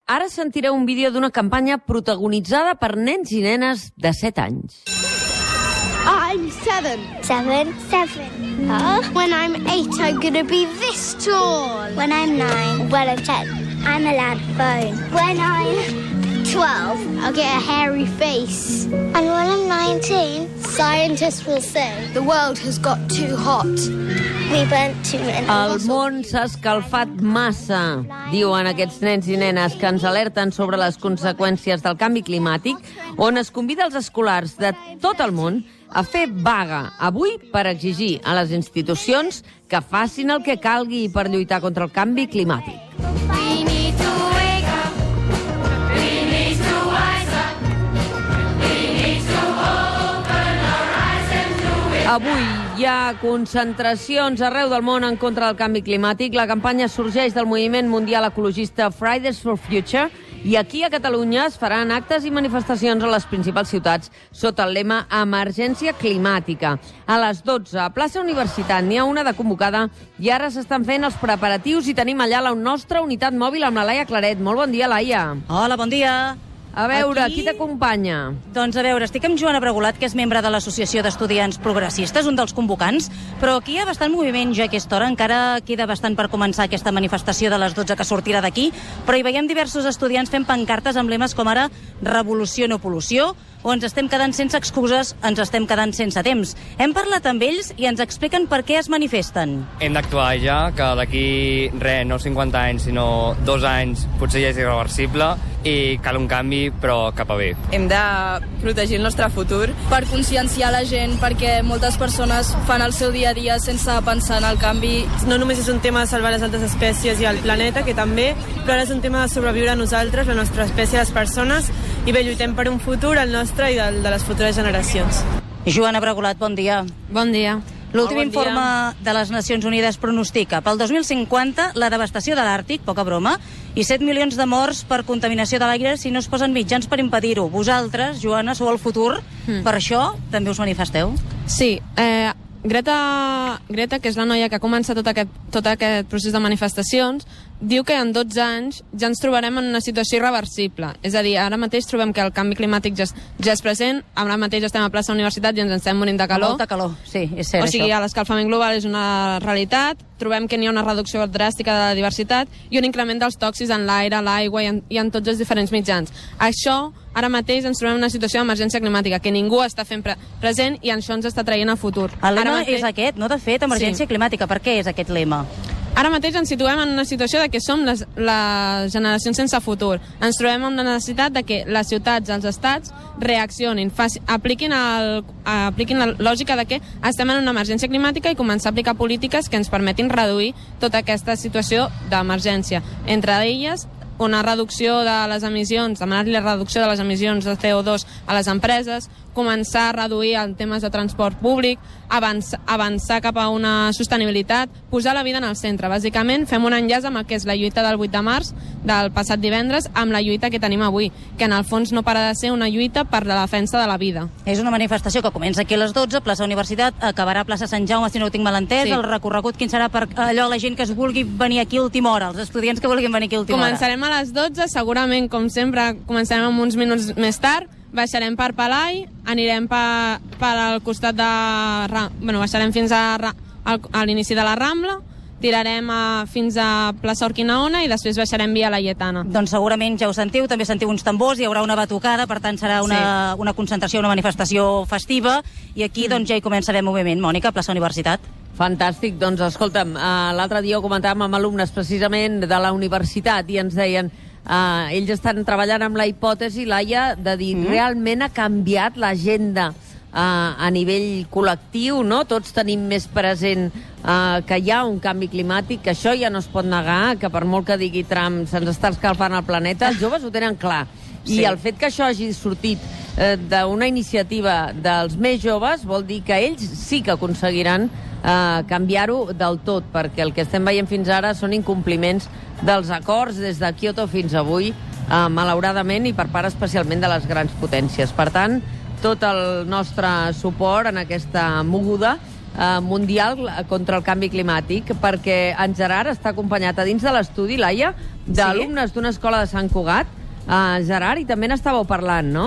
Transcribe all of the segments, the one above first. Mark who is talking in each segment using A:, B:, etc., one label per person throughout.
A: Ara sentireu un vídeo d'una campanya protagonitzada per nens i nenes de 7 anys.
B: I'm 7.
C: 7.
B: When I'm 8, I'm going to be this tall.
C: When I'm 9. When I'm 10. I'm allowed phone. When I'm 12.
B: I'll get a hairy face.
C: And when I'm 19.
B: Scientists will say the world has got too hot.
C: We burnt too many.
A: El món s'ha escalfat massa, diuen aquests nens i nenes que ens alerten sobre les conseqüències del canvi climàtic, on es convida els escolars de tot el món a fer vaga avui per exigir a les institucions que facin el que calgui per lluitar contra el canvi climàtic. Avui hi ha concentracions arreu del món en contra del canvi climàtic. La campanya sorgeix del moviment mundial ecologista Fridays for Future i aquí a Catalunya es faran actes i manifestacions a les principals ciutats sota el lema Emergència Climàtica. A les 12, a plaça Universitat, n'hi ha una de convocada i ara s'estan fent els preparatius i tenim allà la nostra unitat mòbil amb la Laia Claret. Molt bon dia, Laia.
D: Hola, bon dia.
A: A veure, qui t'acompanya?
D: Doncs a veure, estic amb Joana Bregolat, que és membre de l'Associació d'Estudiants Progressistes, un dels convocants, però aquí hi ha bastant moviment ja a aquesta hora, encara queda bastant per començar aquesta manifestació de les 12 que sortirà d'aquí, però hi veiem diversos estudiants fent pancartes amb lemes com ara Revolució no pol·lució, o ens estem quedant sense excuses, ens estem quedant sense temps. Hem parlat amb ells i ens expliquen per què es manifesten.
E: Hem d'actuar ja, que d'aquí no 50 anys, sinó 2 anys, potser ja és irreversible i cal un canvi, però cap a bé.
F: Hem de protegir el nostre futur per conscienciar la gent, perquè moltes persones fan el seu dia a dia sense pensar en el canvi.
G: No només és un tema de salvar les altres espècies i el planeta, que també, però ara és un tema de sobreviure a nosaltres, la nostra espècie, les persones, i bé, lluitem per un futur, el nostre i de les futures generacions.
D: Joana Bregolat, bon dia.
G: Bon dia.
D: L'últim informe de les Nacions Unides pronostica pel 2050 la devastació de l'Àrtic, poca broma, i 7 milions de morts per contaminació de l'aire si no es posen mitjans per impedir-ho. Vosaltres, Joana, sou el futur, per això també us manifesteu?
H: Sí, Greta, que és la noia que ha començat tot aquest procés de manifestacions, diu que en 12 anys ja ens trobarem en una situació irreversible. És a dir, ara mateix trobem que el canvi climàtic ja és present, ara mateix estem a plaça Universitat i ens estem morint de calor.
D: Molta calor, sí, és cert,
H: O sigui,
D: això.
H: l'escalfament global és una realitat, trobem que n'hi ha una reducció dràstica de la diversitat i un increment dels tòxics en l'aire, l'aigua i en tots els diferents mitjans. Això, ara mateix ens trobem en una situació d'emergència climàtica que ningú està fent present i això ens està traient a futur.
D: El lema és aquest, no? De fet, emergència climàtica. Per què és aquest lema?
H: Ara mateix ens situem en una situació de que som les generacions sense futur. Ens trobem amb la necessitat de que les ciutats, els estats, reaccionin, apliquin la lògica de que estem en una emergència climàtica i començar a aplicar polítiques que ens permetin reduir tota aquesta situació d'emergència. Entre elles, una reducció de les emissions, demanar-li la reducció de les emissions de CO2 a les empreses, començar a reduir en temes de transport públic, avançar cap a una sostenibilitat, posar la vida en el centre. Bàsicament, fem un enllaç amb el que és la lluita del 8 de març, del passat divendres, amb la lluita que tenim avui, que en el fons no para de ser una lluita per la defensa de la vida.
D: És una manifestació que comença aquí a les 12, plaça Universitat, acabarà a plaça Sant Jaume, si no ho tinc mal entès. Sí. El recorregut quin serà per allò la gent que es vulgui venir aquí a última hora, els estudiants que vulguin venir aquí a última hora?
H: Començarem a les 12, segurament, com sempre, començarem amb uns minuts més tard, baixarem per Palai, anirem per al costat de... baixarem fins a l'inici de la Rambla, tirarem fins a plaça Urquinaona i després baixarem via Laietana.
D: Doncs segurament ja ho sentiu, també sentiu uns tambors, hi haurà una batucada, per tant serà una concentració, una manifestació festiva, i aquí doncs ja hi començarem moviment. Mònica, plaça Universitat.
A: Fantàstic, doncs escolta'm, l'altre dia ho comentàvem amb alumnes precisament de la universitat i ens deien ells estan treballant amb la hipòtesi, Laia, de dir realment ha canviat l'agenda a nivell col·lectiu, no? Tots tenim més present que hi ha un canvi climàtic, que això ja no es pot negar, que per molt que digui Trump se'ns està escalfant el planeta, els joves ho tenen clar. I el fet que això hagi sortit d'una iniciativa dels més joves vol dir que ells sí que aconseguiran canviar-ho del tot, perquè el que estem veient fins ara són incompliments dels acords des de Kyoto fins avui, malauradament, i per part especialment de les grans potències. Per tant, tot el nostre suport en aquesta moguda mundial contra el canvi climàtic, perquè en Gerard està acompanyat a dins de l'estudi, Laia, d'alumnes d'una escola de Sant Cugat. Gerard, i també n'estàveu parlant, no?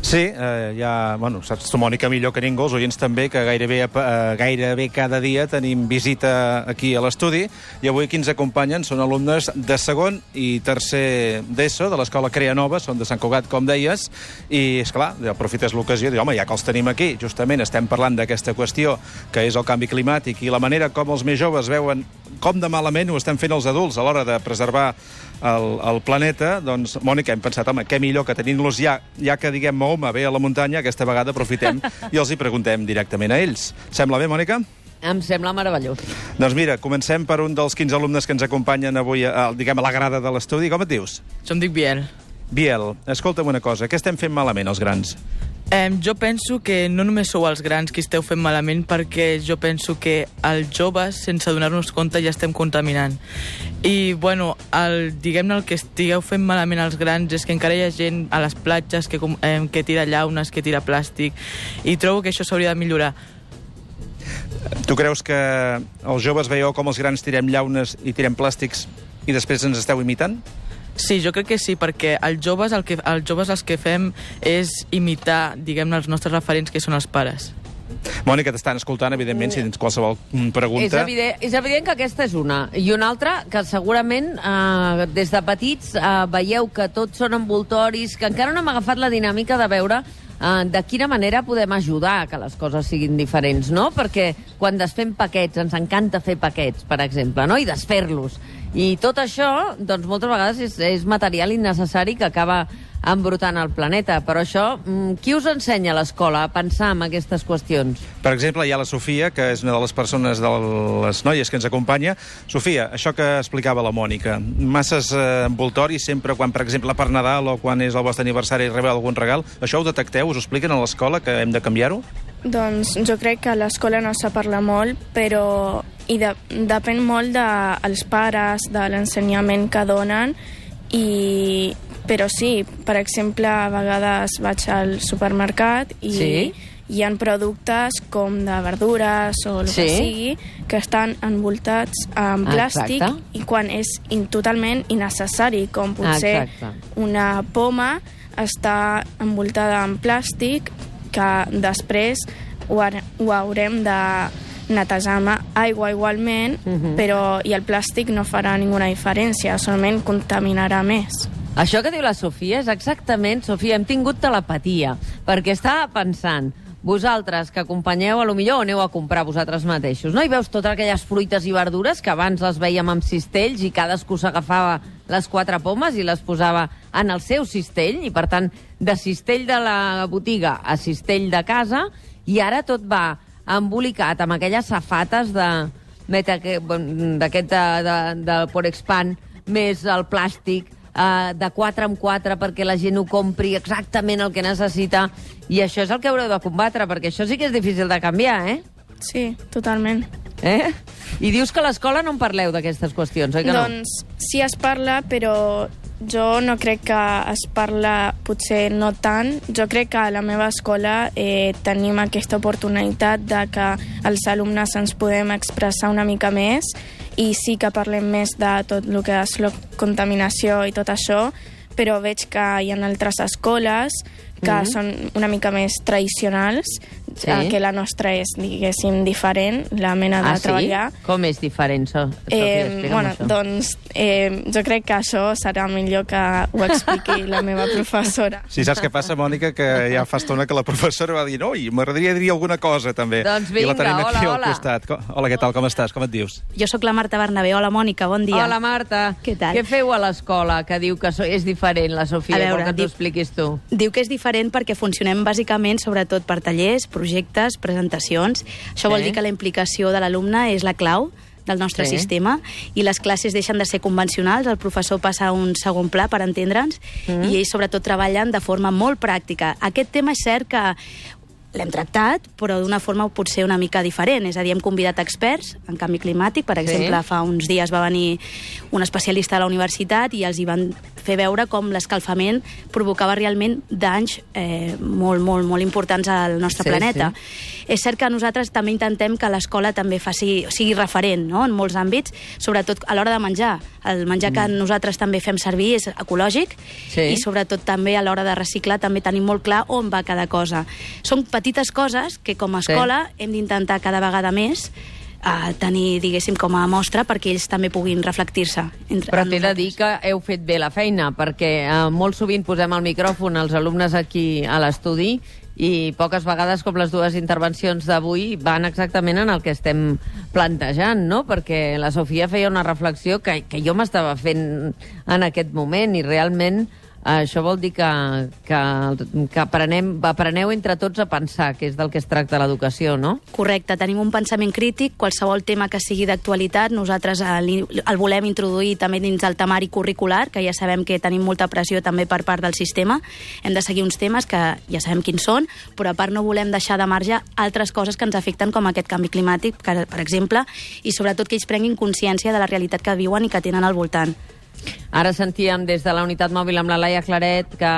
I: Sí, saps tu, Mònica, millor que ningú, els oients també, que gairebé cada dia tenim visita aquí a l'estudi, i avui qui ens acompanyen són alumnes de segon i tercer d'ESO, de l'escola Crea Nova, són de Sant Cugat, com deies, i, esclar, aprofites l'ocasió i, home, ja que els tenim aquí, justament estem parlant d'aquesta qüestió, que és el canvi climàtic, i la manera com els més joves veuen com de malament ho estem fent els adults a l'hora de preservar el planeta, doncs, Mònica, hem pensat, home, què millor que tenint-los ja que, diguem, Mahoma ve a la muntanya, aquesta vegada aprofitem i els hi preguntem directament a ells. Sembla bé, Mònica?
A: Em sembla meravellós.
I: Doncs mira, comencem per un dels 15 alumnes que ens acompanyen avui, diguem, a la grada de l'estudi. Com et dius?
J: Em dic Biel.
I: Biel, escolta'm una cosa, què estem fent malament, els grans?
J: Jo penso que no només sou els grans qui esteu fent malament, perquè jo penso que els joves, sense donar-nos compte, ja estem contaminant. I, bueno, diguem-ne, el que estigueu fent malament els grans és que encara hi ha gent a les platges que tira llaunes, que tira plàstic, i trobo que això s'hauria de millorar.
I: Tu creus que els joves veieu com els grans tirem llaunes i tirem plàstics i després ens esteu imitant?
J: Sí, jo crec que sí, perquè els joves el que fem és imitar, diguem-ne, els nostres referents, que són els pares.
I: Mònica, t'estan escoltant, evidentment, si tens qualsevol pregunta.
A: És evident que aquesta és una. I una altra, que segurament des de petits veieu que tots són envoltoris, que encara no hem agafat la dinàmica de veure de quina manera podem ajudar a que les coses siguin diferents, no? Perquè quan desfem paquets, ens encanta fer paquets, per exemple, no? I desfer-los. I tot això, doncs, moltes vegades és material innecessari que acaba embrutant el planeta. Però això, qui us ensenya a l'escola a pensar en aquestes qüestions?
I: Per exemple, hi ha la Sofia, que és una de les persones, de les noies que ens acompanya. Sofia, això que explicava la Mònica, masses envoltoris sempre quan, per exemple, per Nadal o quan és el vostre aniversari i rebeu algun regal, això ho detecteu? Us ho expliquen a l'escola, que hem de canviar-ho?
K: Doncs jo crec que a l'escola no se parla molt, però depèn molt dels pares, de l'ensenyament que donen, però sí, per exemple, a vegades vaig al supermercat i hi ha productes com de verdures o el que sigui que estan envoltats en plàstic i quan és totalment innecessari, com potser una poma està envoltada en plàstic que després ho haurem de netejar amb aigua igualment, però i el plàstic no farà ninguna diferència, solament contaminarà més.
A: Això que diu la Sofia és exactament, Sofia, hem tingut telepatia, perquè estava pensant, vosaltres que acompanyeu, a lo millor aneu a comprar vosaltres mateixos, no? I veus totes aquelles fruites i verdures que abans les veiem amb cistells i cadascú s'agafava les 4 pomes i les posava en el seu cistell, i per tant, de cistell de la botiga a cistell de casa, i ara tot va embolicat amb aquelles safates de Porexpan, més el plàstic, de 4 en 4 perquè la gent ho compri exactament el que necessita, i això és el que haureu de combatre, perquè això sí que és difícil de canviar, eh?
K: Sí, totalment.
A: I dius que a l'escola no en parleu d'aquestes qüestions, oi que no?
K: Doncs sí es parla, però jo no crec que es parla, potser no tant. Jo crec que a la meva escola tenim aquesta oportunitat de que els alumnes ens podem expressar una mica més, i sí que parlem més de tot el que és la contaminació i tot això, però veig que hi ha altres escoles que són una mica més tradicionals, que la nostra és, diguéssim, diferent, la mena de treballar.
A: Com és diferent, Sofia?
K: Doncs jo crec que això serà millor que ho expliqui la meva professora.
I: Sí, saps què passa, Mònica? Que ja fa estona que la professora va dir m'agradaria dir alguna cosa, també.
A: Doncs vinga,
I: I la tenim aquí
A: hola.
I: al costat. Hola, què tal, com estàs? Com et dius?
D: Jo sóc la Marta Bernabé. Hola, Mònica, bon dia.
A: Hola, Marta.
D: Què tal?
A: Què feu a l'escola que diu que és diferent, la Sofia? Vol que t'ho expliquis tu.
D: Diu que és diferent perquè funcionem bàsicament sobretot per tallers, projectes, presentacions. Això vol dir que la implicació de l'alumne és la clau del nostre sistema, i les classes deixen de ser convencionals, el professor passa a un segon pla, per entendre'ns, i ells sobretot treballen de forma molt pràctica. Aquest tema és cert que l'hem tractat, però d'una forma potser una mica diferent. És a dir, hem convidat experts en canvi climàtic. Per exemple, fa uns dies va venir un especialista de la universitat i els hi van fer veure com l'escalfament provocava realment danys molt, molt, molt importants al nostre planeta. És cert que nosaltres també intentem que l'escola també sigui referent, no?, en molts àmbits, sobretot a l'hora de menjar. El menjar que nosaltres també fem servir és ecològic i sobretot també a l'hora de reciclar també tenim molt clar on va cada cosa. Són petites coses que com a escola hem d'intentar cada vegada més tenir, diguéssim, com a mostra perquè ells també puguin reflectir-se.
A: Però t'he de dir que heu fet bé la feina, perquè molt sovint posem el micròfon als alumnes aquí a l'estudi i poques vegades, com les dues intervencions d'avui, van exactament en el que estem plantejant, no? Perquè la Sofia feia una reflexió que jo m'estava fent en aquest moment i realment això vol dir que apreneu entre tots a pensar, que és del que es tracta l'educació, no?
D: Correcte, tenim un pensament crític, qualsevol tema que sigui d'actualitat, nosaltres el volem introduir també dins el temari curricular, que ja sabem que tenim molta pressió també per part del sistema, hem de seguir uns temes que ja sabem quins són, però a part no volem deixar de marge altres coses que ens afecten com aquest canvi climàtic, per exemple, i sobretot que ells prenguin consciència de la realitat que viuen i que tenen al voltant.
A: Ara sentíem des de la unitat mòbil amb la Laia Claret que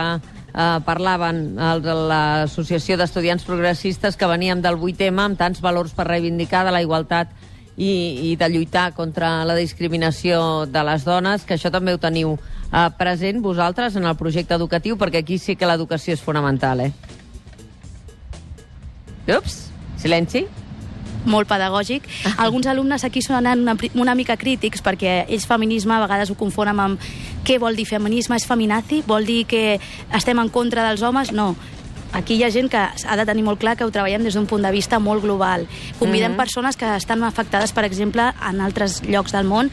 A: parlaven de l'Associació d'Estudiants Progressistes que veníem del 8M amb tants valors per reivindicar de la igualtat i de lluitar contra la discriminació de les dones, que això també ho teniu present vosaltres en el projecte educatiu, perquè aquí sí que l'educació és fonamental, Ups, silenci.
D: Molt pedagògic. Alguns alumnes aquí són una mica crítics perquè ells feminisme a vegades ho confonen amb què vol dir feminisme, és feminazi? Vol dir que estem en contra dels homes? No. Aquí hi ha gent que ha de tenir molt clar que ho treballem des d'un punt de vista molt global. Convidem persones que estan afectades, per exemple, en altres llocs del món,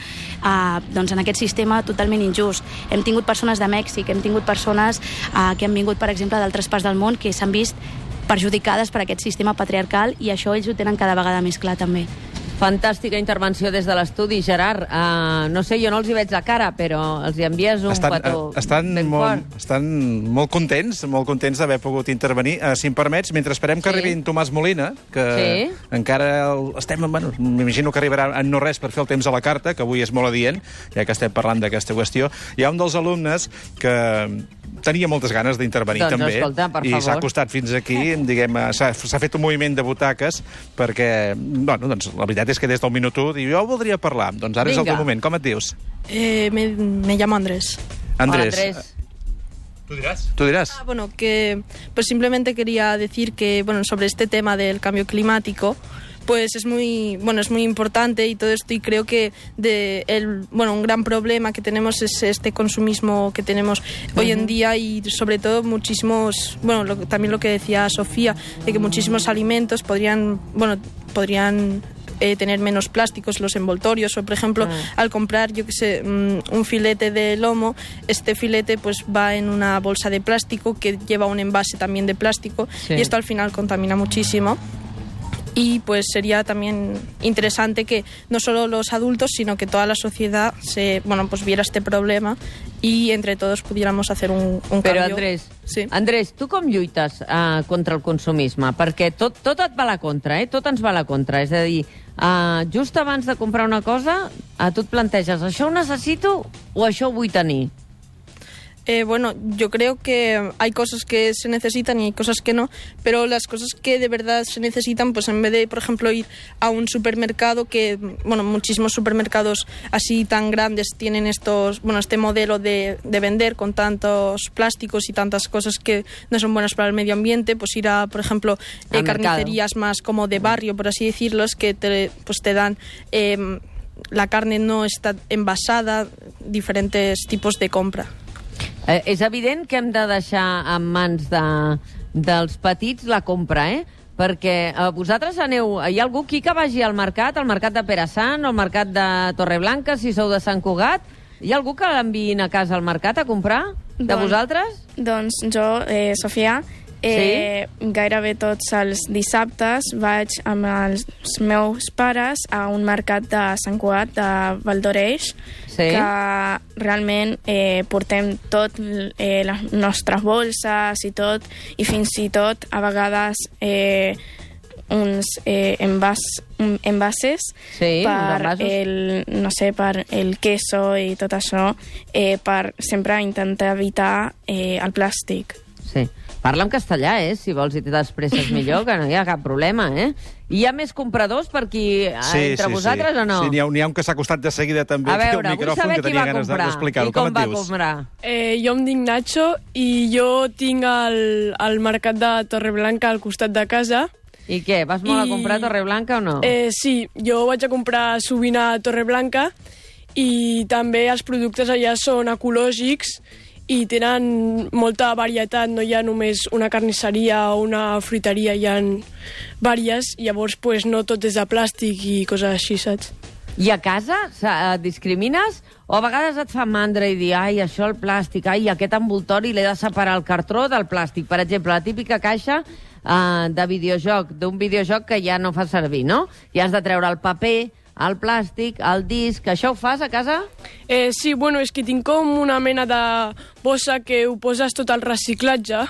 D: doncs en aquest sistema totalment injust. Hem tingut persones de Mèxic, hem tingut persones que han vingut, per exemple, d'altres parts del món que s'han vist perjudicades per aquest sistema patriarcal i això ells ho tenen cada vegada més clar també.
A: Fantàstica intervenció des de l'estudi, Gerard. No sé, jo no els hi veig la cara, però els hi envies un petó ben fort.
I: Estan molt contents d'haver pogut intervenir. Si em permets, mentre esperem que arribi en Tomàs Molina, que encara estem... Bueno, m'imagino que arribarà en no res per fer el temps a la carta, que avui és molt adient, ja que estem parlant d'aquesta qüestió. Hi ha un dels alumnes que tenia moltes ganes d'intervenir també,
A: escolta, per
I: i
A: favor.
I: s'ha acostat fins aquí, diguem, s'ha fet un moviment de butaques perquè, bueno, doncs la veritat és que des del minut 1 diu, jo voldria parlar. Doncs ara és el teu moment. Com et dius?
G: Me llamo Andrés.
I: Andrés.
A: Hola, Andrés.
I: ¿Tú dirás?
G: Bueno, que pues simplemente quería decir que sobre este tema del cambio climático, pues es muy importante y todo esto, y creo que un gran problema que tenemos es este consumismo que tenemos hoy en día, y sobre todo muchísimos, también lo que decía Sofía, de que muchísimos alimentos podrían tener menos plásticos, los envoltorios, o por ejemplo al comprar, yo que sé, un filete de lomo, este filete pues va en una bolsa de plástico que lleva un envase también de plástico, y esto al final contamina muchísimo. Y pues sería también interesante que no solo los adultos, sino que toda la sociedad viera este problema y entre todos pudiéramos hacer un
A: Però,
G: cambio.
A: Andrés, tu com lluites contra el consumisme? Perquè tot et va a la contra, tot ens va a la contra. És a dir, just abans de comprar una cosa, tu et planteges, això ho necessito o això ho vull tenir?
G: Yo creo que hay cosas que se necesitan y hay cosas que no, pero las cosas que de verdad se necesitan, pues en vez de, por ejemplo, ir a un supermercado, que, muchísimos supermercados así tan grandes tienen este modelo de vender con tantos plásticos y tantas cosas que no son buenas para el medio ambiente, pues ir a, por ejemplo, carnicerías más como de barrio, por así decirlos, que te dan... la carne no está envasada, diferentes tipos de compra.
A: És evident que hem de deixar en mans dels petits la compra, perquè vosaltres aneu... Hi ha algú aquí que vagi al mercat de Perassant o al mercat de Torreblanca, si sou de Sant Cugat? Hi ha algú que l'enviïn a casa al mercat a comprar? De vosaltres?
K: Doncs jo, Sofia, gairebé tots els dissabtes vaig amb els meus pares a un mercat de Sant Cugat, de Valdoreix, que realment portem tot, les nostres bolses i tot, i fins i tot a vegades uns envases per el queso i tot això, per sempre intentar evitar el plàstic.
A: Sí. Parla en castellà, si vols, i t'expresses millor, que no hi ha cap problema, I hi ha més compradors per aquí entre vosaltres o no?
I: Sí, n'hi ha un que s'ha acostat de seguida també.
A: A veure, vull saber qui va comprar i com va comprar.
L: Jo em dic Nacho i jo tinc el mercat de Torreblanca al costat de casa.
A: I què, vas molt a comprar a Torreblanca o no?
L: Sí, jo vaig a comprar sovint a Torreblanca i també els productes allà són ecològics i tenen molta varietat, no hi ha només una carnisseria o una fruiteria, hi ha vàries, llavors no tot és de plàstic i coses així, saps?
A: I a casa discrimines? O a vegades et fa mandra i dir, ai, això el plàstic, ai, aquest envoltori l'he de separar el cartró del plàstic. Per exemple, la típica caixa de videojoc, d'un videojoc que ja no fa servir, no? I has de treure el paper, el plàstic, el disc... Això ho fas a casa?
L: Sí, és que tinc com una mena de bossa que ho poses tot al reciclatge,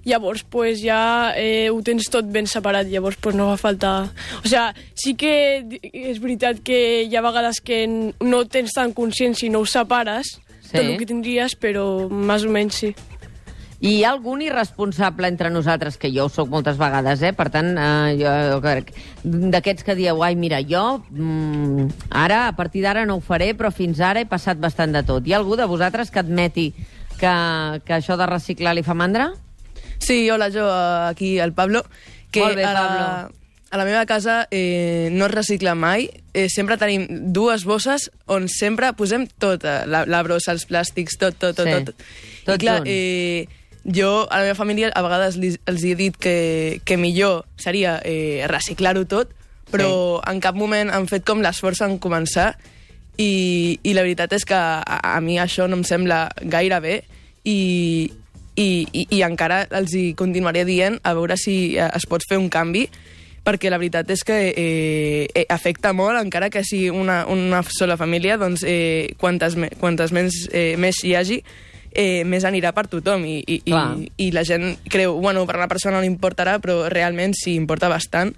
L: llavors ja ho tens tot ben separat, llavors no fa falta... O sigui, sí que és veritat que hi ha vegades que no tens tan consciència i no ho separes, tot el que tindries, però més o menys sí.
A: I hi ha algun irresponsable entre nosaltres, que jo ho soc moltes vegades, per tant, jo crec, d'aquests que dieu, ai, mira, jo ara, a partir d'ara no ho faré, però fins ara he passat bastant de tot. Hi ha algú de vosaltres que admeti que això de reciclar li fa mandra?
M: Sí, hola, jo, aquí, el Pablo.
A: Molt bé, Pablo.
M: A la meva casa no es recicla mai. Sempre tenim dues bosses on sempre posem tot, la brossa, els plàstics, tot.
A: Tot
M: clar,
A: junt.
M: Jo, a la meva família, a vegades els he dit que millor seria reciclar-ho tot, però en cap moment han fet com l'esforç en començar i la veritat és que a mi això no em sembla gaire bé i encara els hi continuaré dient a veure si es pot fer un canvi, perquè la veritat és que afecta molt, encara que sigui una sola família, doncs quantes més hi hagi, més anirà per tothom i la gent creu, per una persona no li importarà, però realment sí importa bastant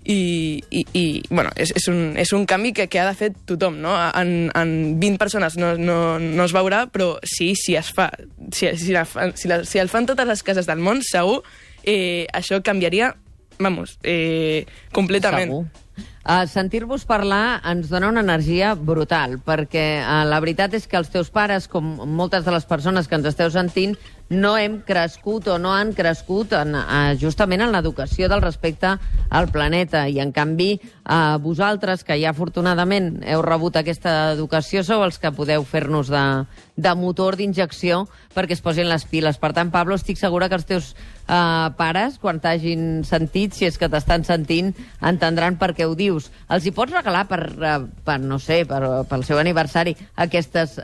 M: i és un canvi que ha de fer tothom, no? En 20 persones no es veurà, però sí, si es fa, si el fan totes les cases del món, segur això canviaria, completament.
A: Segur. Sentir-vos parlar ens dona una energia brutal, perquè la veritat és que els teus pares, com moltes de les persones que ens esteu sentint, no hem crescut o no han crescut justament en l'educació del respecte al planeta. I, en canvi, vosaltres, que ja afortunadament heu rebut aquesta educació, sou els que podeu fer-nos de motor d'injecció perquè es posin les piles. Per tant, Pablo, estic segura que els teus pares, quan t'hagin sentit, si és que t'estan sentint, entendran per què ho dius. Els hi pots regalar no sé, pel seu aniversari aquestes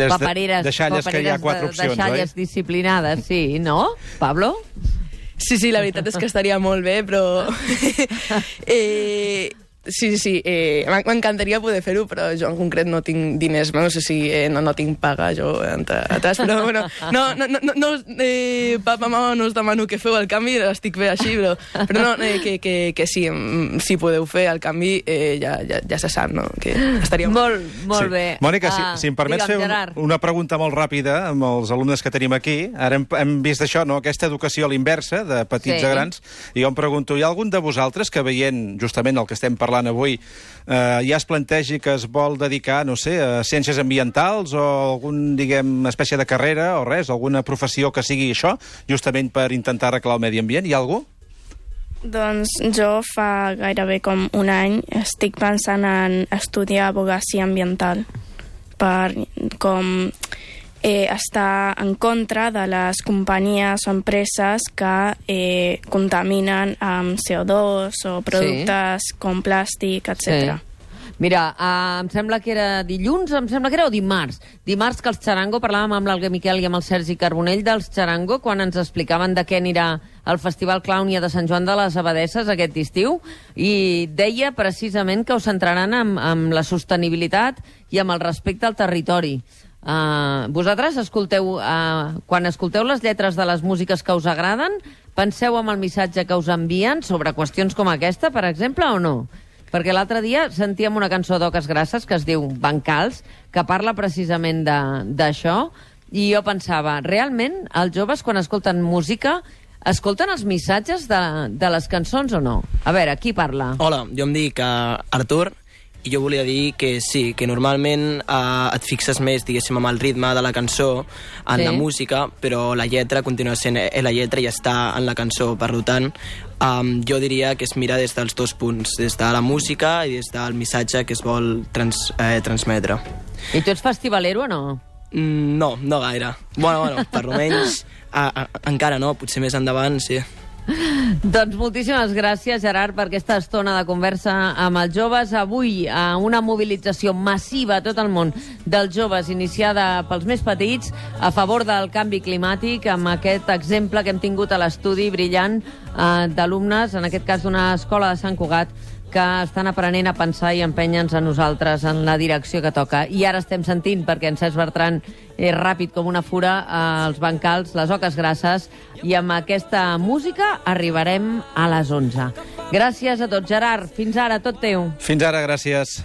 A: papereres,
I: deixalles que hi ha 4 opcions,
A: deixalles disciplinades, sí, no, Pablo?
M: Sí, la veritat és que estaria molt bé, però... Sí, m'encantaria poder fer-ho, però jo en concret no tinc diners, no sé si no tinc paga jo atrás, però bueno, papa, mama, no us demano que feu el canvi, estic bé així, però no, que sí, si podeu fer el canvi ja se sap, no? Que estaria
A: molt bé.
I: Mònica, si em permets fer una pregunta molt ràpida amb els alumnes que tenim aquí. Ara hem vist això, no? Aquesta educació a l'inversa, de petits a grans, i jo em pregunto, hi ha algun de vosaltres que, veient justament el que estem parlant avui, ja es plantegi que es vol dedicar, no sé, a ciències ambientals o algun, espècie de carrera o res, alguna professió que sigui això, justament per intentar arreglar el medi ambient? Hi ha algú?
K: Doncs jo fa gairebé com un any estic pensant en estudiar advocacia ambiental per com està en contra de les companyies o empreses que contaminen amb CO2 o productes com plàstic, etc.
A: Mira, em sembla que era dilluns, o dimarts. Dimarts que els Txarango, parlàvem amb l'Alguer Miquel i amb el Sergi Carbonell dels Txarango, quan ens explicaven de què anirà el Festival Clownia de Sant Joan de les Abadesses aquest estiu, i deia precisament que ho centraran amb la sostenibilitat i amb el respecte al territori. Vosaltres escolteu, quan escolteu les lletres de les músiques que us agraden, penseu en el missatge que us envien sobre qüestions com aquesta, per exemple, o no? Perquè l'altre dia sentíem una cançó d'Oques Grasses que es diu Bancals, que parla precisament d'això, i jo pensava, realment, els joves, quan escolten música, escolten els missatges de les cançons o no? A veure, qui parla?
N: Hola, jo em dic Artur, i jo volia dir que sí, que normalment et fixes més, diguéssim, amb el ritme de la cançó, en la música, però la lletra continua sent la lletra i està en la cançó. Per tant, jo diria que es mira des dels dos punts, des de la música i des del missatge que es vol transmetre.
A: I tu ets festivalero o no?
N: No, no gaire. Bueno, per almenys encara no, potser més endavant, sí.
A: Doncs moltíssimes gràcies, Gerard, per aquesta estona de conversa amb els joves. Avui, una mobilització massiva a tot el món dels joves, iniciada pels més petits, a favor del canvi climàtic, amb aquest exemple que hem tingut a l'estudi brillant d'alumnes, en aquest cas d'una escola de Sant Cugat, que estan aprenent a pensar i empènyer-nos a nosaltres en la direcció que toca. I ara estem sentint, perquè en Cesc Bertran és ràpid com una fura, els Bancals, les Oques Grasses, i amb aquesta música arribarem a les 11. Gràcies a tots. Gerard, fins ara, tot teu.
I: Fins ara, gràcies.